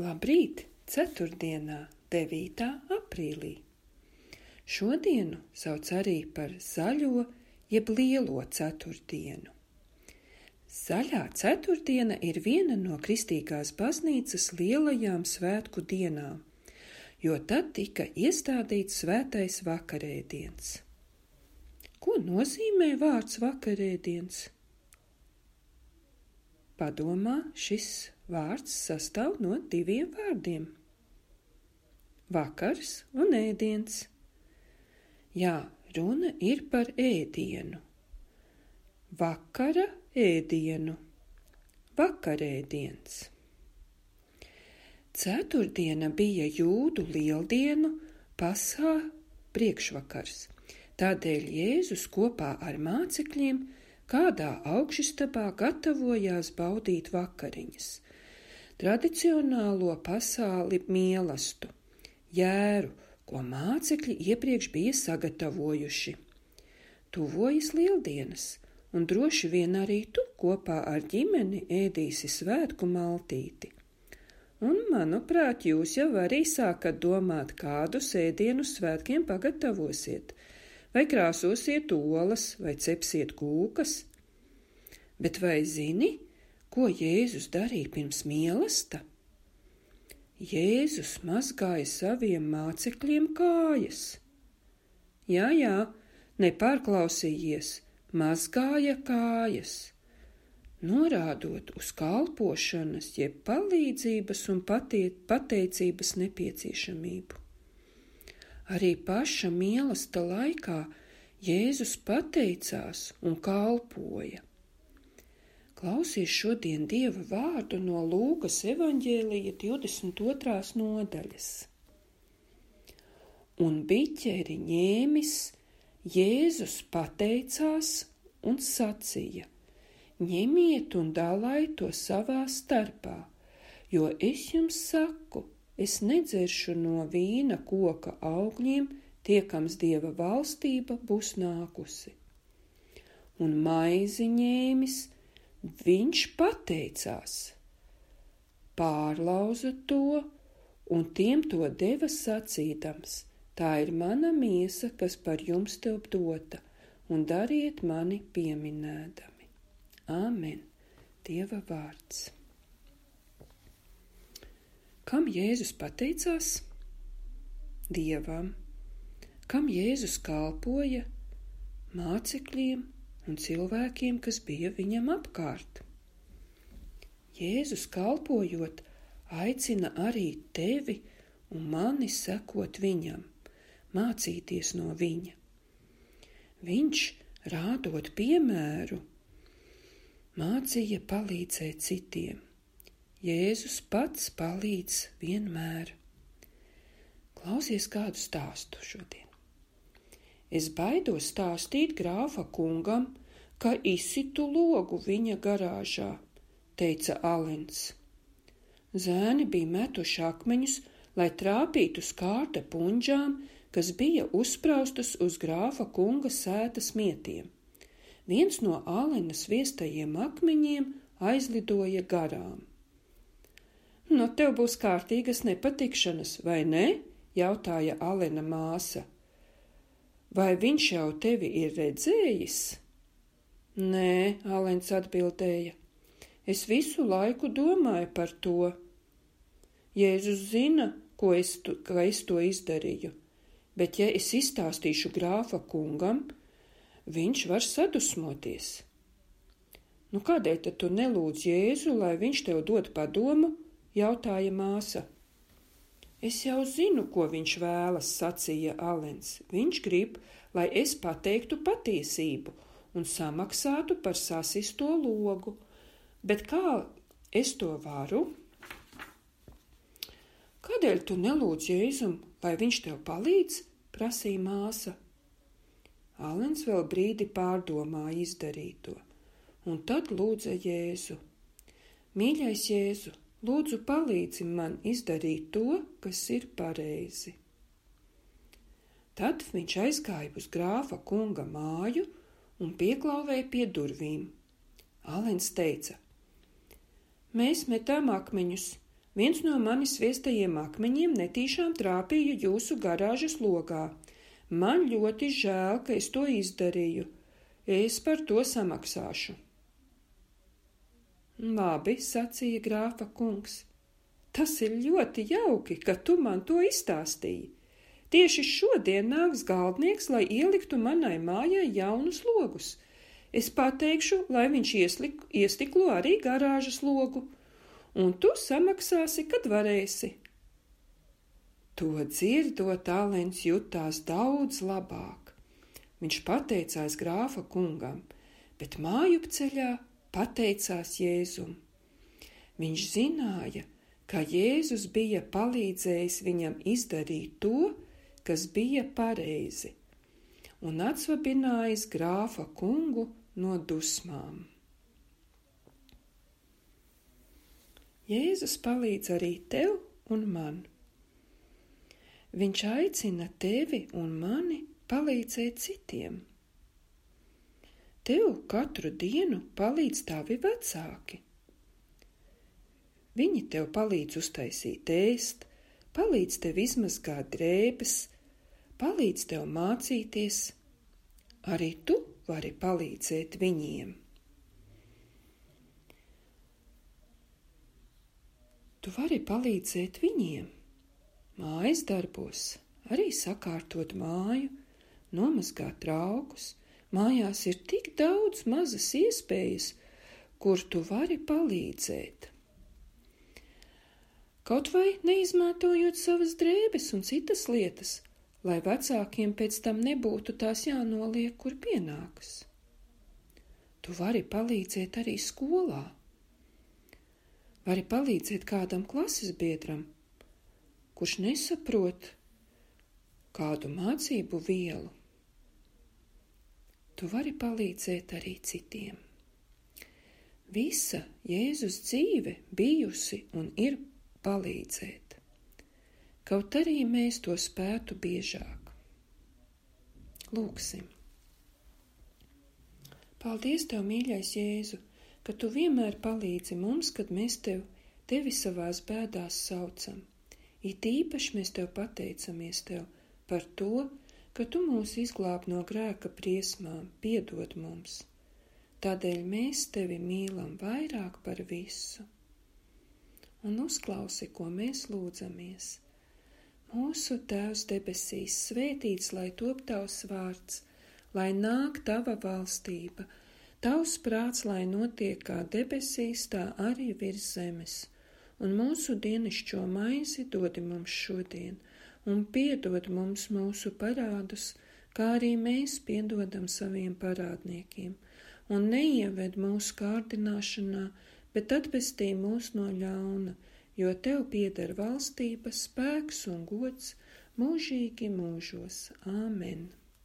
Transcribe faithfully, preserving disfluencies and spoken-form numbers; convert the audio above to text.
Labrīt, ceturtdienā, devītā aprīlī. Šodienu sauc arī par zaļo jeb lielo ceturtdienu. Zaļā ceturtdiena ir viena no kristīgās baznīcas lielajām svētku dienām, jo tad tika iestādīts svētais vakarēdiens. Ko nozīmē vārds vakarēdiens? Padomā, šis vārds sastāv no diviem vārdiem – vakars un ēdiens. Jā, runa ir par ēdienu. Vakara ēdienu. Vakarēdiens. Ceturtdiena bija jūdu lieldienu pasā priekšvakars. Tādēļ Jēzus kopā ar mācekļiem kādā augšistabā gatavojās baudīt vakariņas, tradicionālo pasāli mielastu, jēru, ko mācekļi iepriekš bija sagatavojuši. Tuvojas lieldienas, un droši vien arī tu kopā ar ģimeni ēdīsi svētku maltīti. Un, manuprāt, jūs jau arī sākat domāt, kādus ēdienus svētkiem pagatavosiet, vai krāsosiet olas, vai cepsiet kūkas. Bet vai zini, ko Jēzus darīja pirms mielasta? Jēzus mazgāja saviem mācekļiem kājas. Jā, jā, nepārklausījies, mazgāja kājas, norādot uz kalpošanas, jeb palīdzības un patie, pateicības nepieciešamību. Arī paša mielasta laikā Jēzus pateicās un kalpoja. Klausies šodien Dieva vārdu no Lūkas evaņģēlija divdesmit otrās nodaļas. Un biķeri ņēmis, Jēzus pateicās un sacīja: ņemiet un dalājiet to savā starpā, jo es jums saku, es nedzeršu no vīna koka augļiem, tiekams Dieva valstība būs nākusi. Un maizi ņēmis, viņš pateicās, pārlauza to un tiem to deva sacīdams: tā ir mana miesa, kas par jums tev dota, un dariet mani pieminēdami. Āmen. Dieva vārds. Kam Jēzus pateicās? Dievam. Kam Jēzus kalpoja? Mācekļiem un cilvēkiem, kas bija viņam apkārt. Jēzus kalpojot, aicina arī tevi un mani sekot viņam, mācīties no viņa. Viņš, rādot piemēru, mācīja palīdzēt citiem. Jēzus pats palīdz vienmēr. Klausies kādu stāstu šodien. Es baidos stāstīt grāfa kungam, ka izsitu logu viņa garāžā, teica Alens. Zēni bija metuši akmeņus, lai trāpītu skārta puņģām, kas bija uzspraustas uz grāfa kunga sētas mietiem. Viens no Alena sviestajiem akmeņiem aizlidoja garām. No tev būs kārtīgas nepatikšanas, vai ne? Jautāja Alena māsa. Vai viņš jau tevi ir redzējis? Nē, Alens atbildēja. Es visu laiku domāju par to. Jēzus zina, ko es, tu, ka es to izdarīju, bet ja es izstāstīšu grāfa kungam, viņš var sadusmoties. Nu, kādēļ tad tu nelūdz Jēzu, lai viņš tev dod padomu? Jautāja māsa. Es jau zinu, ko viņš vēlas, sacīja Alens. Viņš grib, lai es pateiktu patiesību un samaksātu par sasisto logu. Bet kā es to varu? Kādēļ tu nelūdz Jēzum, lai viņš tev palīdz? Prasīja māsa. Alens vēl brīdi pārdomāja izdarīto, un tad lūdza Jēzu. Mīļais Jēzu, lūdzu, palīdzi man izdarīt to, kas ir pareizi. Tad viņš aizgāja uz grāfa kunga māju un pieklāvēja pie durvīm. Alens teica: Mēs metām akmeņus, Viens no manis sviestajiem akmeņiem netīšām trāpīja jūsu garāžas logā. Man ļoti žēl, ka es to izdarīju. Es par to samaksāšu. Labi, sacīja grāfa kungs. Tas ir ļoti jauki, ka tu man to izstāstīji. Tieši šodien nāks galdnieks, lai ieliktu manai mājai jaunus logus. Es pateikšu, lai viņš ieslik, iestiklo arī garāžas logu, un tu samaksāsi, kad varēsi. To dzirdot, Talents jutās daudz labāk. Viņš pateicās grāfa kungam, bet mājupceļā pateicās Jēzum. Viņš zināja, ka Jēzus bija palīdzējis viņam izdarīt to, kas bija pareizi, un atsvabinājis grāfa kungu no dusmām. Jēzus palīdz arī tev un man. Viņš aicina tevi un mani palīdzēt citiem. Tev katru dienu palīdz tavi vecāki. Viņi tev palīdz uztaisīt ēst, palīdz tev izmazgāt drēbes, palīdz tev mācīties. Arī tu vari palīdzēt viņiem. Tu vari palīdzēt viņiem mājas darbos, arī sakārtot māju, nomazgāt traukus. Mājās ir tik daudz mazas iespējas, kur tu vari palīdzēt. Kaut vai neizmantojot savas drēbes un citas lietas, lai vecākiem pēc tam nebūtu tās jānoliek, kur pienākas. Tu vari palīdzēt arī skolā. Vari palīdzēt kādam klases biedram, kurš nesaprot kādu mācību vielu. Tu vari palīdzēt arī citiem. Visa Jēzus dzīve bijusi un ir palīdzēt, kaut arī mēs to spētu biežāk. Lūksim. Paldies Tev, mīļais Jēzu, ka Tu vienmēr palīdzi mums, kad mēs Tev, Tevi savās bēdās saucam. It īpaši mēs Tev pateicamies Tev par to, ka Tu mūs izglāb no grēka briesmām, piedod mums. Tādēļ mēs Tevi mīlam vairāk par visu. Un uzklausi, ko mēs lūdzamies. Mūsu Tēvs debesīs, svētīts, lai top Tavs vārds, lai nāk Tava valstība, Tavs prāts, lai notiek kā debesīs, tā arī virs zemes. Un mūsu dienascho maizi dodi mums šodien, un piedod mums mūsu parādus, kā arī mēs piedodam saviem parādniekiem. Un neieved mūsu kārdināšanā, bet atpestī mūs no ļauna, jo Tev pieder valstība, spēks un gods mūžīgi mūžos. Āmen.